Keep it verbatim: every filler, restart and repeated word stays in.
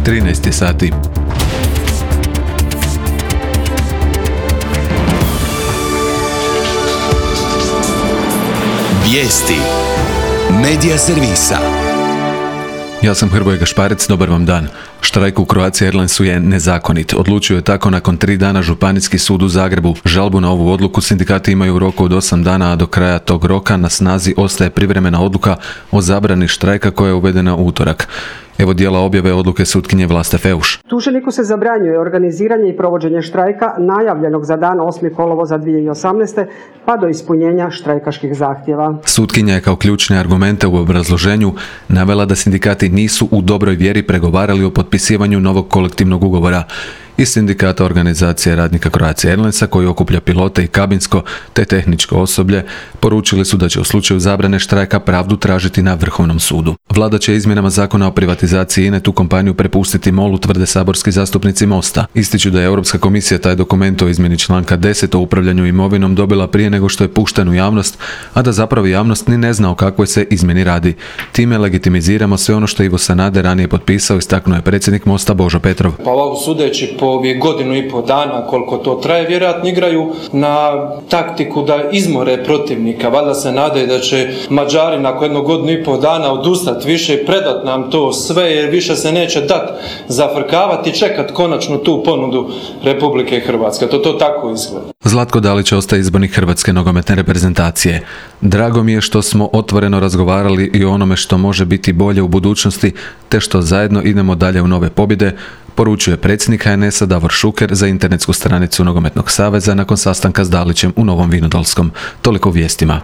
trinaest je sati. Vijesti Medija servisa. Ja sam Hrvoje Gašparec, dobar vam dan. Štrajk u Croatia Airlinesu je nezakonit. Odlučio je tako nakon tri dana Županijski sud u Zagrebu. Žalbu na ovu odluku sindikati imaju u roku od osam dana, a do kraja tog roka na snazi ostaje privremena odluka o zabrani štrajka koja je uvedena u utorak. Evo dijela objave odluke sutkinje Vlaste Feuš. Tuženiku se zabranjuje organiziranje i provođenje štrajka najavljenog za dan osmog kolovoza dvije tisuće osamnaeste pa do ispunjenja štrajkaških zahtjeva. Sutkinja je kao ključne argumente u obrazloženju navela da sindikati nisu u dobroj vjeri pregovarali o potpisivanju novog kolektivnog ugovora. Iz sindikata organizacije radnika Croatia Airlinesa, koji okuplja pilote i kabinsko te tehničko osoblje, poručili su da će u slučaju zabrane štrajka pravdu tražiti na Vrhovnom sudu. Vlada će izmjenama zakona o privatizaciji I N E tu kompaniju prepustiti MOL-u, tvrde saborski zastupnici Mosta. Ističu da je Europska komisija taj dokument o izmjeni članka deset o upravljanju imovinom dobila prije nego što je pušten u javnost, a da zapravo javnost ni ne zna o kakvoj se izmjeni radi. Time legitimiziramo sve ono što je Ivo Sanader ranije potpisao, istaknuo je predsjednik Mosta Božo Petrov. Pa ovo sudeći po ovih godinu i pol dana koliko to traje, vjerojatno igraju na taktiku da izmore protivnika. Valjda se nadaju da će Mađari nakon jednog godinu i pol dana odustati više i predat nam to sve, jer više se neće dat zafrkavati i čekat konačno tu ponudu Republike Hrvatske. To to tako izgleda. Zlatko Dalić ostaje izbornik Hrvatske nogometne reprezentacije. Drago mi je što smo otvoreno razgovarali i o onome što može biti bolje u budućnosti, te što zajedno idemo dalje u nove pobjede, poručuje predsjednik H N S-a Davor Šuker za internetsku stranicu Nogometnog saveza nakon sastanka s Dalićem u Novom Vinodolskom. Toliko u vijestima.